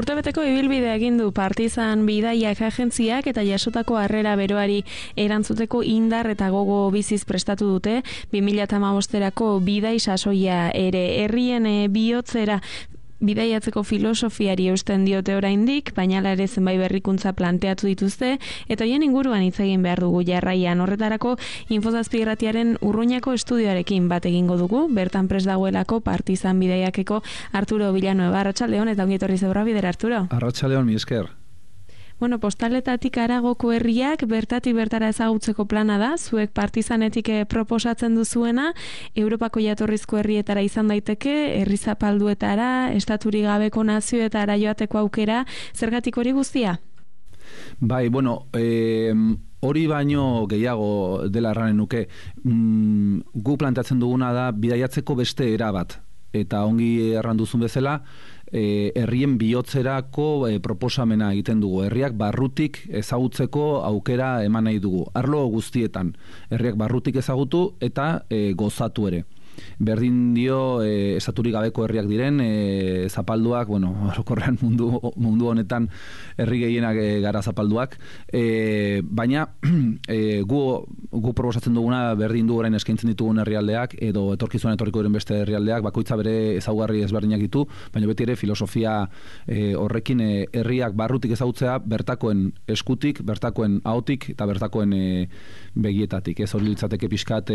Urtebeteko ibilbidea egin du Partizan bidaiak agentziak eta jasotako harrera beroari erantzuteko indar eta gogo biziz prestatu dute 2015erako bidai sasoia ere herrien bihotzera bidaiatzeko filosofiari eusten diote oraindik, baina ere zenbait berrikuntza planteatu dituzte eta hoien inguruan hitz egin behar dugu jarraian. Horretarako Infozazpi irratiaren Urruñako estudioarekin bat egingo dugu, bertan prest dagoelako Partizan bidaiakeko Arturo Villanueva. Arratsaldeon eta ongi etorri zeurra bidera, Arturo. Arratsaldeon, mi esker. Bueno, postaletatik haragoko herriak bertatik bertara ezagutzeko plana da, zuek Partizanetik proposatzen duzuena, Europako jatorrizko herrietara izan daiteke, herri zapalduetara, estaturik gabeko nazioetara joateko aukera, zergatik hori guztia? Bai, bueno, hori baino gehiago dela erranen nuke, gu planteatzen duguna da bidaiatzeko beste era bat, eta ongi erranduzun bezala, herrien bihotzerako proposamena egiten dugu. Herriak barrutik ezagutzeko aukera eman nahi dugu. Arlo guztietan, herriak barrutik ezagutu eta gozatu ere. Berdin dio estaturik gabeko herriak diren, zapalduak, bueno, orokorrean mundu honetan herri gehienak gara zapalduak, baina gu proposatzen duguna berdin du orain eskaintzen ditugun herrialdeak edo etorkizuan etorriko diren beste herrialdeak, bakoitza bere ezaugarri ezberdinak ditu, baina beti ere filosofia horrekin herriak barrutik ezagutzea bertakoen eskutik, bertakoen ahotik eta bertakoen begietatik. Ez hori litzateke pixkat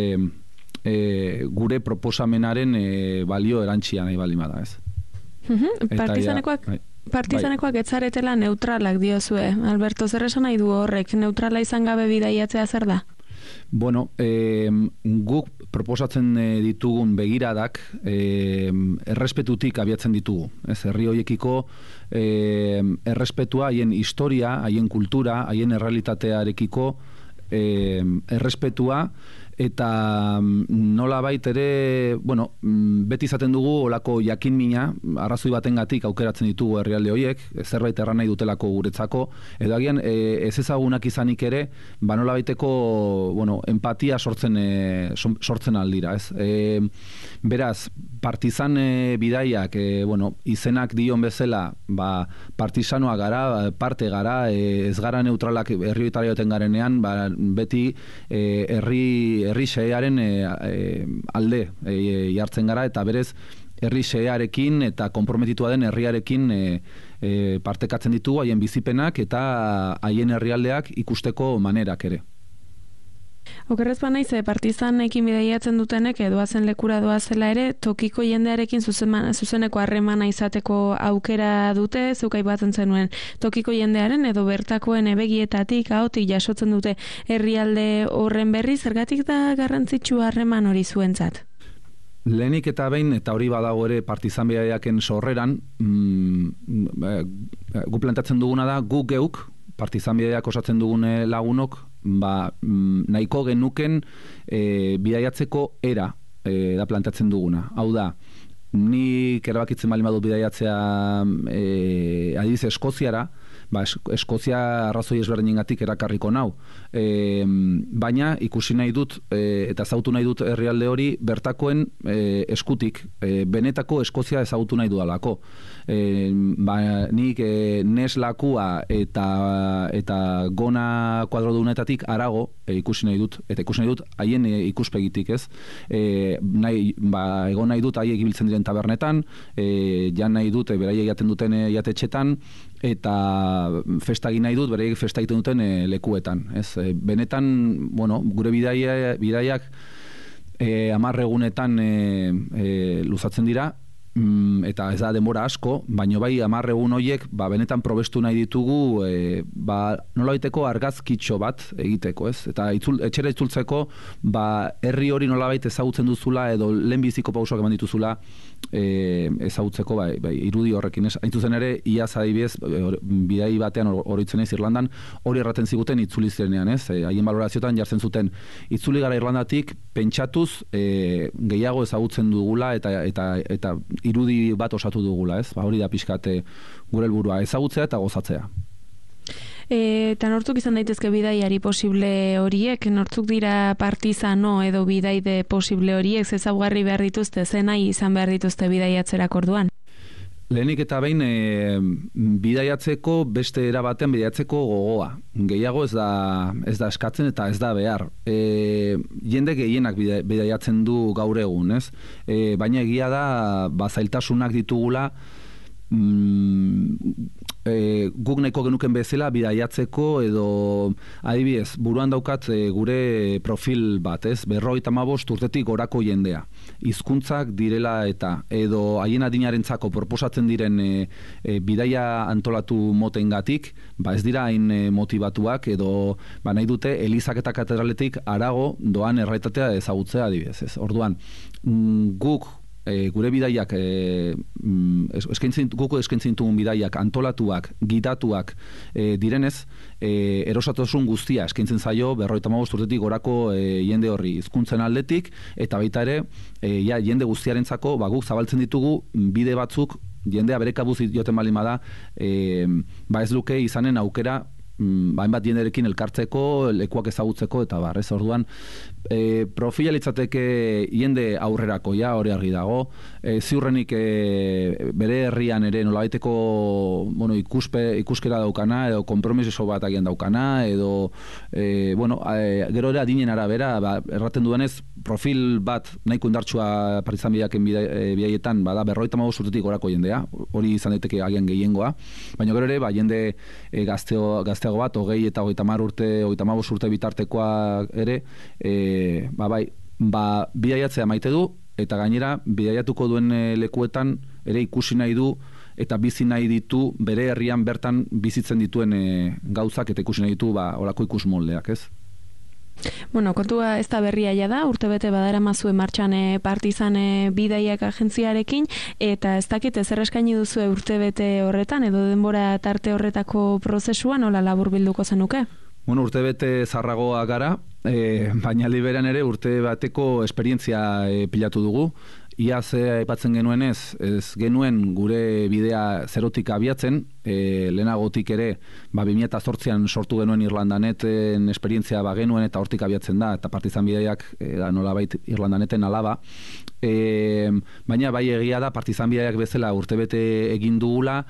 gure proposamenaren balio erantsia nahi baldin bada, ez? Partizanekoak etzaretela neutralak diozue. Alberto, zer esan nahi du horrek? Neutrala izan gabe bidaiatzea zer da? Bueno, guk proposatzen ditugun begiradak errespetutik abiatzen ditugu. Ez, herri horiekiko errespetua, haien historia, haien kultura, haien errealitatearekiko errespetua, eta nolabait ere, bueno, beti izaten dugu olako jakinmina, arrazoi batengatik aukeratzen ditugu herrialde horiek, zerbait erran nahi dutelako guretzako, edo agian ez ezagunak izanik ere, nolabaiteko, bueno, empatia sortzen aldira, ez? Beraz, Partizan bidaiak, bueno, izenak dion bezala, partizanoa gara, parte gara, ez gara neutralak herri hoitara joten garenean, beti herri xehearen alde jartzen gara, eta berez herri xehearekin eta konprometitua den herriarekin partekatzen ditugu haien bizipenak eta haien herrialdeak ikusteko manerak ere. Okerrez banaiz, Partizanekin bidaiatzen dutenek doazen lekura doazela ere, tokiko jendearekin zuzeneko harremana izateko aukera dute, zeukai batzen zenuen tokiko jendearen edo bertakoen begietatik, ahotik jasotzen dute herrialde horren berri, zergatik da garrantzitsu harreman hori zuentzat? Lehenik eta behin, eta hori badago ere Partizan bidaiaken sorreran, gu plantatzen duguna da, gu geuk, Partizan bidaiak osatzen dugun lagunok, nahiko genuken bidaiatzeko era da plantatzen duguna. Hau da, nik erabakitzen baldin badut bidaiatzea adibidez Eskoziara, Eskozia arrazoi ezberdinengatik erakarriko nau. Baina ikusi nahi dut eta ezagutu nahi dut herrialde hori bertakoen eskutik, benetako Eskozia ezagutu nahi dudalako. Nik nes lakua eta gona kuadrodunetatik harago ikusi nahi dut, eta ikusi nahi dut haien ikuspegitik, ez? Egon nahi dut haiek ibiltzen diren tabernetan, jan nahi dut beraiek jaten duten jatetxetan, eta festa egin nahi dut beraiek festa egiten duten lekuetan, ez? Benetan, bueno, gure bidaiak 10 egunetan luzatzen dira, eta ez da denbora asko, baino bai 10 egun horiek benetan probestu nahi ditugu nolabaiteko argazkitxo bat egiteko, ez? Eta etxera itzultzeko herri hori nolabait ezagutzen duzula edo lehenbiziko pausoak eman dituzula ezagutzeko irudi horrekin, ez? Hain zuzen ere, iaz adibidez bidai batean oroitzen ez Irlandan, hori erraten ziguten itzuli zirenean, ez? Haien balorazioetan jartzen zuten itzuli gara Irlandatik pentsatuz gehiago ezagutzen dugula eta irudi bat osatu dugula, ez? Hori da pixkat gure helburua, ezagutzea eta gozatzea. Eta nortzuk izan daitezke bidaiari posible horiek, nortzuk dira partizano edo bidaide posible horiek, ezaugarri behar dituzte, ze nahi izan behar dituzte bidaiatzerak orduan? Lehenik eta behin bidaiatzeko beste era batean bidaiatzeko gogoa. Gehiago ez da eskatzen eta ez da behar. Jende gehienak bidaiatzen du gaur egun, ez? Baina egia da zailtasunak ditugula guk nahiko genuken bezala bidaiatzeko edo adibidez, buruan daukat gure profil bat, ez? 55 urtetik gorako jendea. Hizkuntzak direla eta edo haien adinarentzako proposatzen diren bidaia antolatu motengatik, ez dira hain motivatuak edo nahi dute elizak eta katedraletik harago doan errealitatea ezagutzea adibidez, ez? Orduan, guk gure bidaiak guk eskaintzen ditugun bidaiak antolatuak, gidatuak direnez, erosatasun guztia eskaintzen zaio 55 urtetik gorako jende horri hizkuntzen aldetik eta baita ere jende guztiarentzako guk zabaltzen ditugu bide batzuk jendea bere kabuz joten baldin bada ez luke izanen aukera hainbat jenderekin elkartzeko, lekuak ezagutzeko eta bar, ez? Orduan, profila litzateke jende aurrerako hori argi dago, ziurrenik bere herrian ere nolabaiteko ikuskera daukana edo konpromiso bat agian daukana edo gero ere adinen arabera erraten duenez profil bat nahiko indartsua Partizan bidaken bidaietan bada 55 urtetik gorako jendea, hori izan daiteke agian gehiengoa, baina gero ere jende gazteago bat, 20 eta 35 urte bitartekoa ere, bidaiatzea maite du, eta gainera, bidaiatuko duen lekuetan ere ikusi nahi du, eta bizi nahi ditu, bere herrian bertan bizitzen dituen gauzak, eta ikusi nahi ditu, olako ikus moldeak, ez? Bueno, kontua ez da berria da, urtebete badaramazue martxan Partizan bidaiak agentziarekin, eta ez dakit ezer eskaini duzue urtebete horretan, edo denbora tarte horretako prozesua, nola labur bilduko zenuke? Bueno, urtebete zarragoa gara, baina liberan ere urte bateko esperientzia pilatu dugu. Iaz aipatzen genuenez, ez genuen gure bidea zerotik abiatzen, lehenagotik ere 2008an sortu genuen Irlandaneten esperientzia genuen eta hortik abiatzen da, eta Partizan bidaiak nolabait Irlandaneten alaba. Baina bai egia da Partizan bidaiak bezala urtebete egin dugula,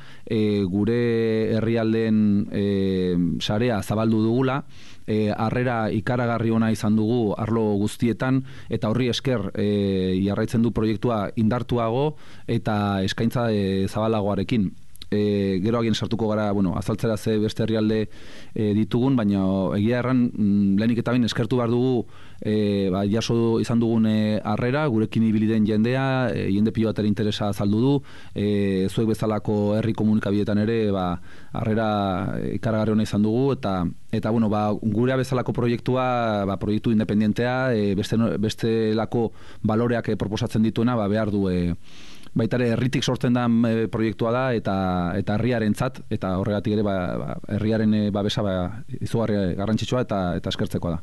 gure herrialdeen sarea zabaldu dugula, harrera ikaragarri ona izan dugu arlo guztietan eta horri esker jarraitzen du proiektua indartuago eta eskaintza zabalagoarekin. Gero agien sartuko gara, azaltzera ze beste herrialde ditugun, baina egia erran lehenik eta bain eskertu behar dugu jaso izan dugun harrera, gurekin ibili den jendea, jende pilo bat ere interesa azaldu du, zuek bezalako herri komunikabideetan ere harrera ikaragarri ona izan dugu, eta gurea bezalako proiektua, proiektu independentea, bestelako baloreak proposatzen dituena, behar du baita ere herritik sortzen da proiektua da eta herriarentzat eta horregatik ere herriaren babesa izugarri garrantzitsua eta eskertzekoa da.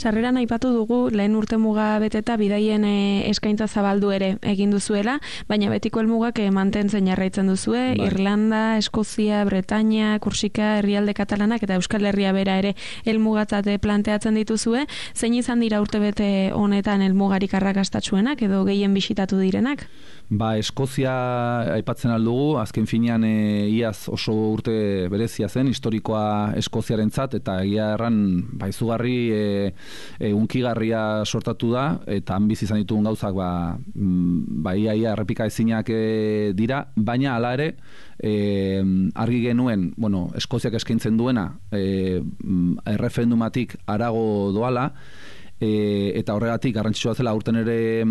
Sarreran aipatu dugu lehen urtemuga beteta bidaien eskaintza zabaldu ere egin duzuela, baina betiko helmugak mantentzen jarraitzen duzue, Irlanda, Eskozia, Bretaña, Korsika, herrialde katalanak eta Euskal Herria bera ere helmugatzat planteatzen dituzue. Zein izan dira urtebete honetan helmugarik arrakastatsuenak edo gehien bisitatu direnak? Eskozia aipatzen aldugu, azken finean iaz oso urte berezia zen, historikoa Eskoziarentzat eta egia erran izugarri unkigarria sortatu da eta han bizi izan ditugun gauzak ia errepika ezinak dira, baina hala ere argi genuen, Eskoziak eskaintzen duena erreferendumatik harago doala, eta horregatik garrantzitsua zela aurten ere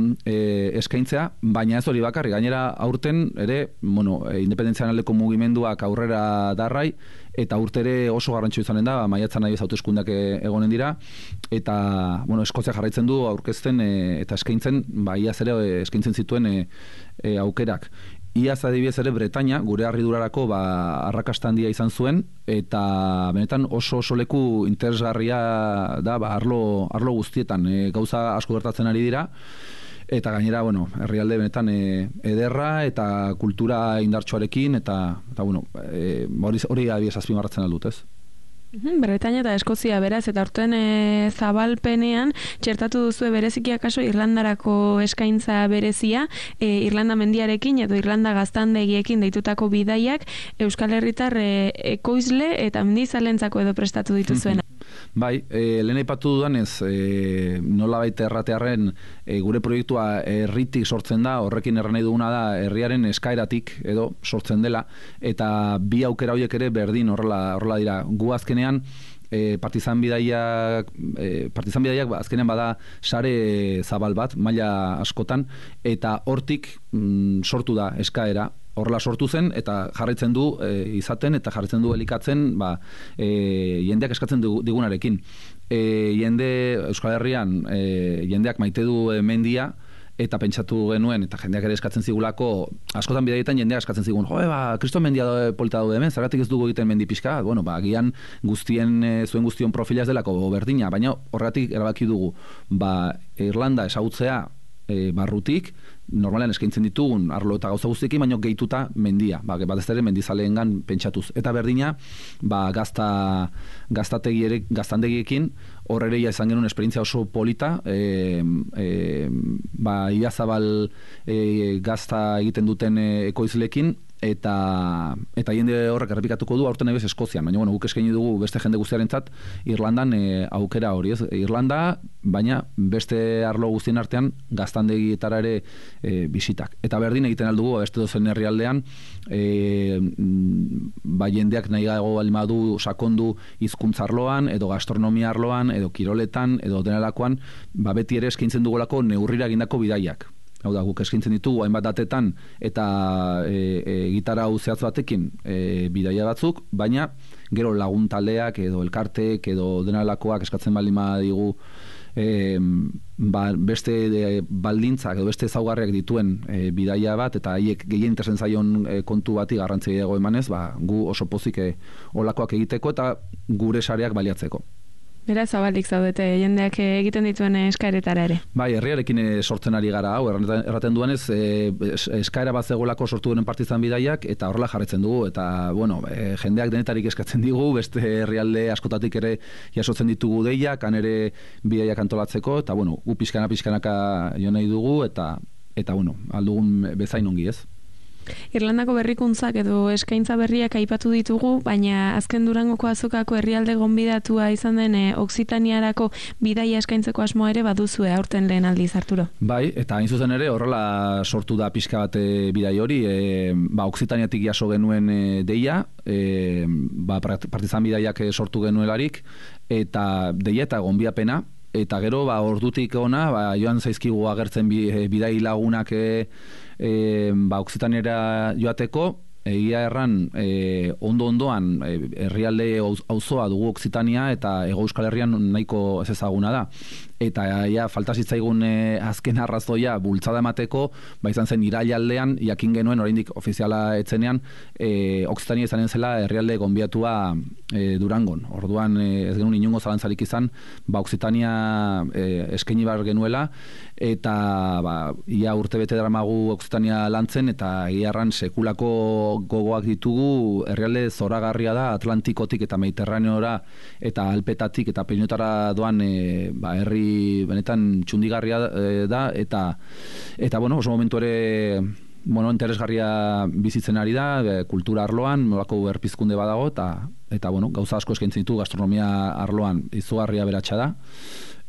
eskaintzea, baina ez hori bakarrik, gainera aurten ere, independentzian aldeko mugimenduak aurrera darrai, eta urte ere oso garrantzitsua izanen da, maiatzan nahi hauteskundeak egonen dira, eta Eskozia jarraitzen du aurkezten eta eskaintzen, iaz ere eskaintzen zituen aukerak. Iaz adibidez ere Bretaña, gure harridurarako arrakasta handia izan zuen, eta benetan oso leku interesgarria da arlo guztietan. Gauza asko gertatzen ari dira, eta gainera, herrialde benetan ederra eta kultura indartsuarekin, eta hori adibidez azpimarratzen aldut, ez? Bretaña eta Eskozia beraz, eta aurten zabalpenean txertatu duzu bereziki akaso Irlandarako eskaintza berezia, Irlanda mendiarekin edo Irlanda gaztandegiekin deitutako bidaiak Euskal Herritar ekoizle eta mendizalentzako edo prestatu dituzuena. Bai, lehen aipatu dudanez, nolabait erratearren gure proiektua herritik sortzen da, horrekin erran nahi duguna da herriaren eskaeratik edo sortzen dela, eta bi aukera horiek ere berdin horrela dira. Gu azkenean partizan bidaiak azkenean bada sare zabal bat, maila askotan, eta hortik sortu da eskaera. Horrela sortu zen eta jarraitzen du izaten eta jarraitzen du elikatzen jendeak eskatzen digunarekin. Jende Euskal Herrian jendeak maite du mendia eta pentsatu genuen eta jendeak ere eskatzen zigulako, askotan bidaietan jendeak eskatzen zigun, kriston mendia polita daude hemen, zergatik ez dugu egiten mendi pixka? Bueno, agian zuen guztion profila ez delako berdina, baina horregatik erabaki dugu, Irlanda ezagutzea barrutik, normalean eskaintzen ditugun arlo eta gauza guztiekin, baina gehituta mendia, batez ere mendizaleengan pentsatuz. Eta berdina, gaztandegiekin, hor ere izan genuen esperientzia oso polita, iazabal gazta egiten duten ekoizlekin, eta jende horrek errepikatuko du aurten ebez Eskozian, baina guk eskaini dugu beste jende guztiarentzat Irlandan aukera hori, ez? Irlanda, baina beste arlo guztien artean gaztandegietara ere bisitak. Eta berdin egiten aldugu beste dozen herrialdean jendeak nahi gago balmadu sakondu hizkuntza arloan, edo gastronomia arloan, edo kiroletan, edo denalakoan, beti ere eskaintzen dugulako neurrira egindako bidaiak. Hau da, guk eskaintzen ditugu hainbat datetan eta gitara zehatz batekin bidaia batzuk, baina gero lagun taldeak edo elkarteek edo denalakoak eskatzen baldin badigu beste baldintzak edo beste ezaugarriak dituen bidaia bat eta haiek gehien interesan zaion kontu bati garrantzi gehiago emanez, gu oso pozik olakoak egiteko eta gure sareak baliatzeko. Beraz, zabalik zaudete jendeak egiten dituen eskaeretara ere. Bai, herriarekin sortzen ari gara, erraten duenez, eskaera bat zegoelako sortu denen partizan bidaiak, eta horrela jarretzen dugu, eta, jendeak denetarik eskatzen digu, beste herrialde askotatik ere jasotzen ditugu deiak, han ere bidaiak antolatzeko, eta, gu pixkanaka jo nahi dugu, eta aldugun bezain ongi, ez? Irlandako berrikuntzak edo eskaintza berriak aipatu ditugu, baina azken Durangoko azokako herrialde gonbidatua izan den Okzitaniarako bidaia eskaintzeko asmoa ere baduzue aurten lehen aldiz, Arturo. Bai, eta hain zuzen ere horrela sortu da pixka bat bidai hori, Okzitaniatik jaso genuen deia, partizan bidaiak sortu genuelarik, eta deia eta gonbiapena, eta gero ordutik ona joan zaizkigu agertzen bidai lagunak Okzitaniara joateko, egia erran ondoan herrialde auzoa dugu Okzitania eta Hego Euskal Herrian nahiko ez ezaguna da. Eta falta zitzaigun azken arrazoia bultzada emateko, izan zen irailaldean jakin genuen oraindik ofiziala etzenean Okzitania izanen zela herrialde gonbiatua Durangon. Orduan ez genuen inongo zalantzarik izan, Okzitania eskaini behar genuela eta ia urtebete daramagu Okzitania lantzen eta iarran sekulako gogoak ditugu, herrialde zoragarria da Atlantikotik eta Mediterraneora eta Alpetatik eta Peinotara doan herri benetan txundigarria da eta oso momentu ere interesgarria bizitzen ari da, kultura arloan, nolako berpizkunde badago eta gauza asko eskaintzen ditu gastronomia arloan izugarria beratsa da.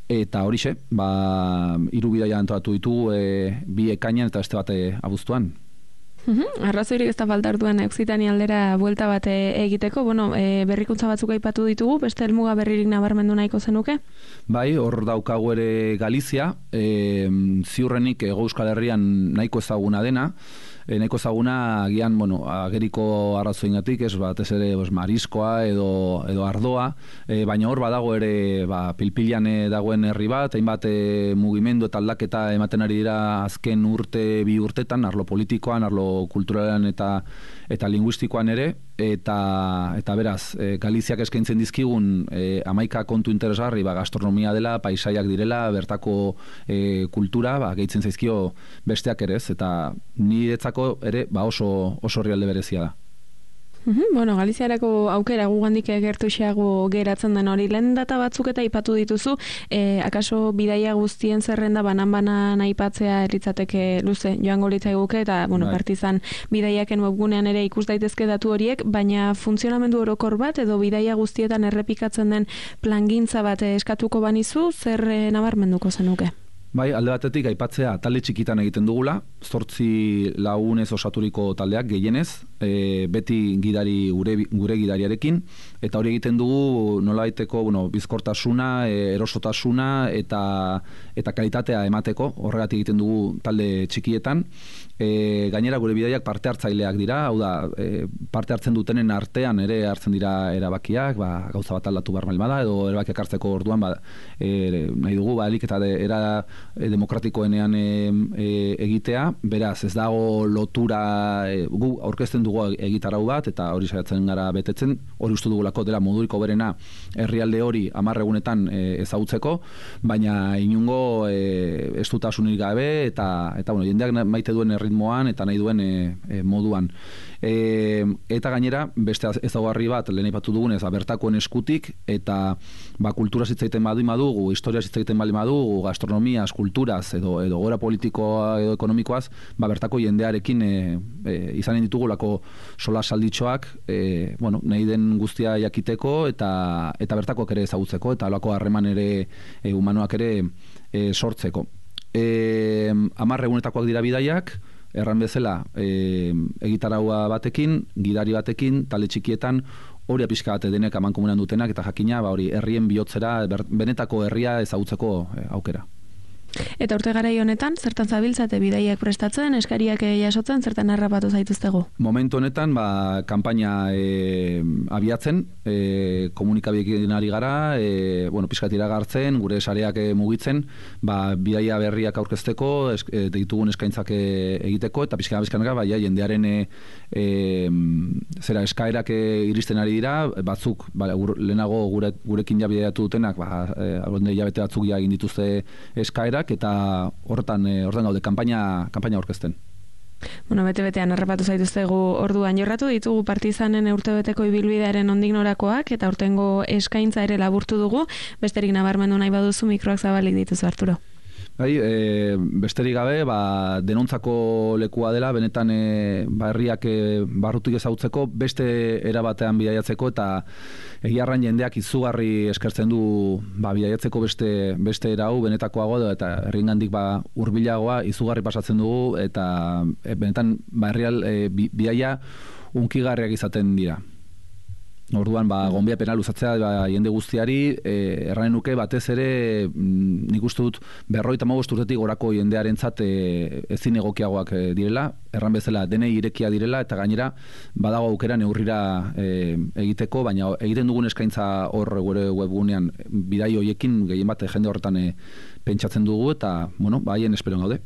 Eta horixe, 3 bidaia antolatu ditugu, 2 ekainean eta beste bat abuztuan. Arrazoirik ez da falta orduan Okzitania aldera buelta bat egiteko, berrikuntza batzuk aipatu ditugu, beste helmuga berririk nabarmendu nahiko zenuke? Bai, hor daukagu ere Galizia, ziurrenik Hego Euskal Herrian nahiko ezaguna dena, nahiko ezaguna agian, ageriko arrazoingatik, batez ere mariskoa edo ardoa, baina hor badago ere pilpilan dagoen herri bat, hainbat mugimendu eta aldaketa ematen ari dira azken bi urtetan, arlo politikoan, arlo kulturalean eta linguistikoan ere, eta beraz, Galiziak eskaintzen dizkigun 11 kontu interesgarri, gastronomia dela, paisaiak direla, bertako kultura, gehitzen zaizkio besteak ere ez, eta niretzako ere oso herrialde berezia da. Bueno, Galiziarako aukera gugandik gertuxeago geratzen den hori. Lehen data batzuk eta aipatu dituzu, akaso bidaia guztien zerrenda banan-banan aipatzea litzateke luze joango litzaiguke, eta Partizan bidaiaken webgunean ere ikus daitezke datu horiek, baina funtzionamendu orokor bat edo bidaia guztietan errepikatzen den plangintza bat eskatuko banizu, zer nabarmenduko zenuke? Bai, alde batetik aipatzea talde txikitan egiten dugula, 8 lagunez osaturiko taldeak gehienez, beti gidari gure gidariarekin, eta hori egiten dugu nolabaiteko bizkortasuna, erosotasuna eta kalitatea emateko, horregatik egiten dugu talde txikietan. Gainera gure bidaiak parte hartzaileak dira, hau da, parte hartzen dutenen artean ere hartzen dira erabakiak, gauza bat aldatu behar bada, edo erabakiak hartzeko orduan nahi dugu, alik eta era demokratikoenean egitea, beraz, ez dago lotura, gu aurkezten dugu egitarau bat, eta hori saiatzen gara betetzen, hori uste dugulako dela moduriko berena herrialde hori 10 egunetan ezagutzeko, baina inungo estutasunik gabe, eta jendeak maite duen erritmoan, eta nahi duen moduan. Eta gainera, beste ezaugarri bat, lehen aipatu dugunez, bertakoen eskutik, eta kultura zitzaiten badugu, historia zitzaiten badugu, gastronomia, kulturaz edo gora politikoa edo ekonomikoaz, bertako jendearekin izanen ditugulako sola salditxoak, nahi den guztia jakiteko eta bertakoak ere ezagutzeko, eta alako harreman ere humanoak ere sortzeko. 10 egunetakoak dira bidaiak, erran bezala egitaraua batekin, gidari batekin, talde txikietan, hori pixka bat denek amankomunean dutenak, eta jakina hori herrien bihotzera, benetako herria ezagutzeko aukera. Eta urte garai honetan, zertan zabiltzate bidaiak prestatzen, eskariak jasotzen, zertan harrapatu zaituztegu? Momentu honetan, kanpaina abiatzen, komunikabiekin ari gara, pixkat iragartzen, gure sareak mugitzen, bidaia berriak aurkezteko, ditugun eskaintzak egiteko, eta pixka bizkanaka, jendearen eskaerak iristen ari dira, batzuk, lehenago gurekin ja bidaiatu dutenak, hilabete batzuk ja egin dituzte eskaerak, eta hortan gaude kanpaina aurkezten. Bete-betean harrapatu zaituztegu orduan. Jorratu ditugu Partizanen urtebeteko ibilbidearen nondik norakoak, eta urtengo eskaintza ere laburtu dugu. Besterik nabarmendu nahi baduzu, mikroak zabalik dituzu, Arturo. Besterik gabe, denontzako lekua dela, benetan herriak barrutik ezagutzeko, beste erabatean bidaiatzeko, eta egiarran jendeak izugarri eskertzen du bidaiatzeko beste erau, benetakoago, eta herriengandik hurbilagoa izugarri pasatzen dugu, eta benetan bidaia unkigarriak izaten dira. Orduan, gonbiapena luzatzea jende guztiari, erranen nuke batez ere, nik uste dut 55 urtetik gorako jendearentzat ezin egokiagoak direla, erran bezala denei irekia direla, eta gainera badago aukera neurrira egiteko, baina egiten dugun eskaintza hor gure webgunean bidai hoiekin gehien bat jende horretan pentsatzen dugu, eta haien esperon gaude.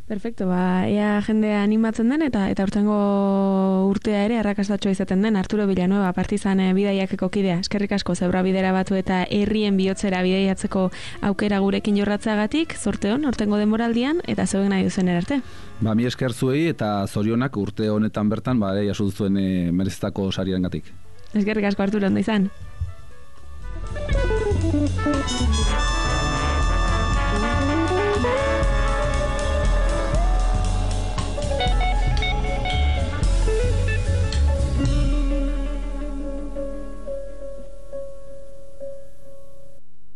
Perfecto, ea jendea animatzen den eta urtengo urtea ere arrakastatxoa izaten den. Arturo Villanueva, Partizan bidaiakeko kidea. Eskerrik asko zeura bidera batu eta herrien bihotzera bidaiatzeko aukera gurekin jorratzeagatik, zorte hon, urtengo denboraldian, eta zeuen nahi duzen erarte. Mi esker zuei eta zorionak urte honetan bertan, jaso duzuen merezetako sariarengatik. Eskerrik asko, Arturo, ondo izan.